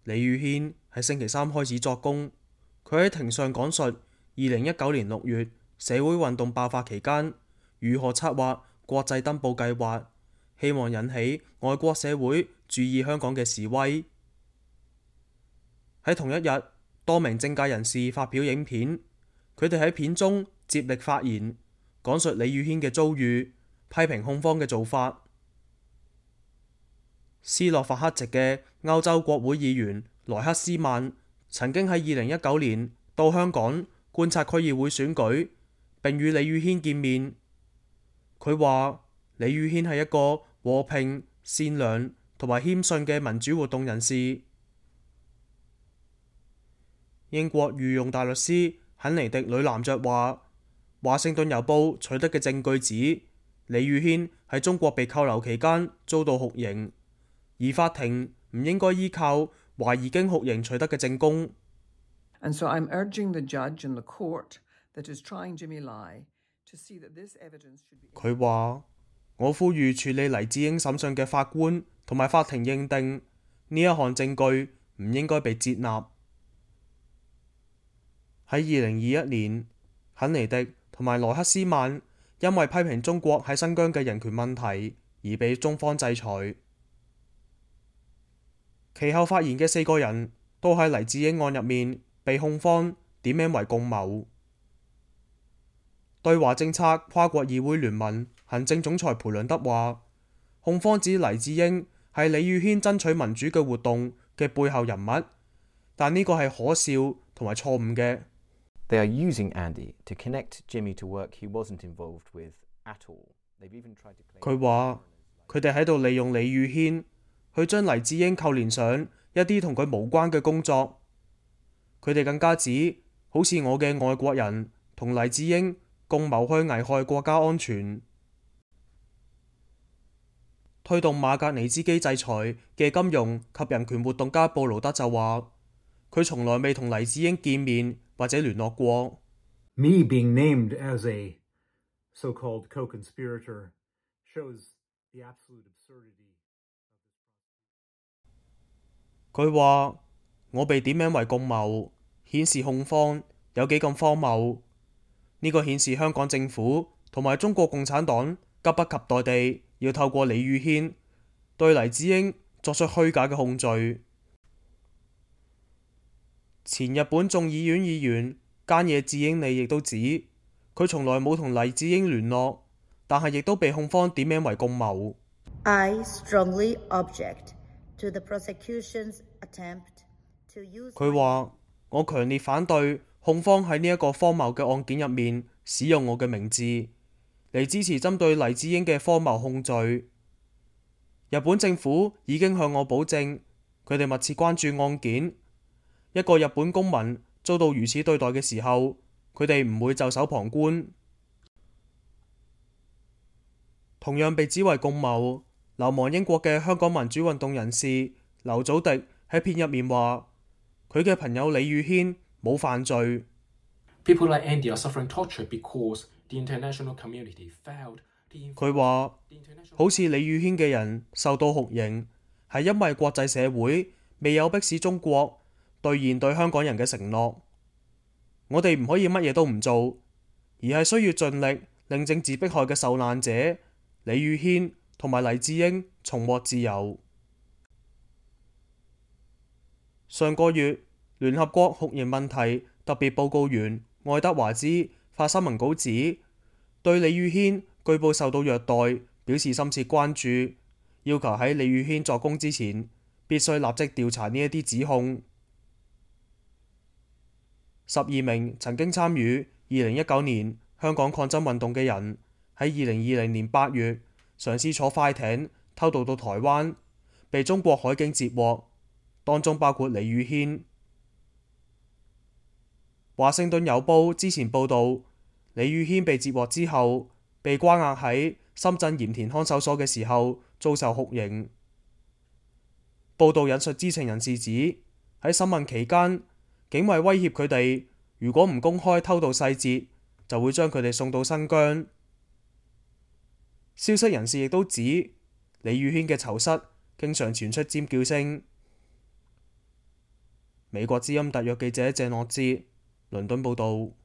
李宇軒喺星期三開始作供，佢喺庭上講述2019年6月社會運動爆發期間如何策劃國際登報計劃，希望引起外國社會注意香港嘅示威。喺同一日，多名政界人士發表影片，佢哋喺片中接力發言，講述李宇軒嘅遭遇，批評控方嘅做法。斯洛伐克籍嘅歐洲國會議員萊克斯曼曾經喺2019年到香港觀察區議會選舉，並與李宇軒見面。佢話李宇軒係一個和平、善良同埋謙遜嘅民主活動人士。英國御用大律師肯尼迪女男爵話，華盛頓郵報取得嘅證據指李宇軒喺中國被扣留期間遭到酷刑，而法庭唔應該依靠懷疑經酷刑取得嘅證供。And so I'm urging the judge and the court that is trying Jimmy Lai to see that this evidence should be。佢話：我呼籲處理黎智英審訊嘅法官同埋法庭認定呢一項證據唔應該被接納。喺2021年，肯尼迪同埋萊克斯曼因為批評中國喺新疆嘅人權問題而被中方制裁。其後發言嘅4個人都喺黎智英案入面被控方點名為共謀。對華政策跨國議會聯盟行政總裁培倫德話，控方指黎智英係李宇軒爭取民主嘅活動嘅背後人物，但呢個係可笑同埋錯誤嘅。They are using Andy to connect Jimmy to work he wasn't involved with at all. They've even tried to claim。佢話佢哋喺度利用李宇軒去將黎智英扣連上一啲同佢無關嘅工作。佢哋更加指，好似我嘅外國人同黎智英共謀去危害國家安全。推動馬格尼茲基制裁嘅金融及人權活動家布勞德就話，佢從來未同黎智英見面或者聯絡過。Me being named as a so-called co-conspirator shows the absolute absurdity。佢話我被點名為共謀，顯示控方有幾咁荒謬。呢個顯示香港政府同埋中國共產黨急不及待地要透過李宇軒對黎智英作出虛假嘅控罪。前日本眾議院議員菅野智英利亦都指，佢從來冇同黎智英聯絡，但係亦都被控方點名為共謀。I strongly object to the prosecution's attempt to use。佢話：我強烈反對控方喺呢一個荒謬嘅案件入面使用我嘅名字嚟支持針對黎智英嘅荒謬控罪。日本政府已經向我保證，佢哋密切關注案件。一個日本公民遭到如此對待嘅時候，佢哋唔會袖手旁觀。同樣被指為共謀，流亡英國嘅香港民主運動人士劉祖迪喺片入面話，佢嘅朋友李宇軒冇犯罪。People like Andy are suffering torture because the international community failed。佢話，好似李宇軒嘅人受到酷刑，係因為國際社會未有迫使中國兌現對香港人嘅承諾。我哋唔可以乜嘢都唔做，而係需要盡力令政治迫害嘅受難者李宇軒同埋黎智英重獲自由。上個月，聯合國酷刑問題特別報告員愛德華茲發新聞稿指，對李宇軒據報受到虐待表示深切關注，要求喺李宇軒作供之前必須立即調查呢一啲指控。12名曾經參與2019年香港抗爭運動嘅人喺2020年8月嘗試坐快艇偷渡到台灣，被中國海警截獲，當中包括李宇軒。華盛頓郵報之前報導，李宇軒被截獲之後，被關押喺深圳鹽田看守所嘅時候遭受酷刑。報導引述知情人士指，喺審問期間，警衛威脅佢哋，如果唔公開偷渡細節，就會將佢哋送到新疆。消息人士亦都指，李宇軒嘅囚室經常傳出尖叫聲。美國之音特約記者謝諾哲，倫敦報導。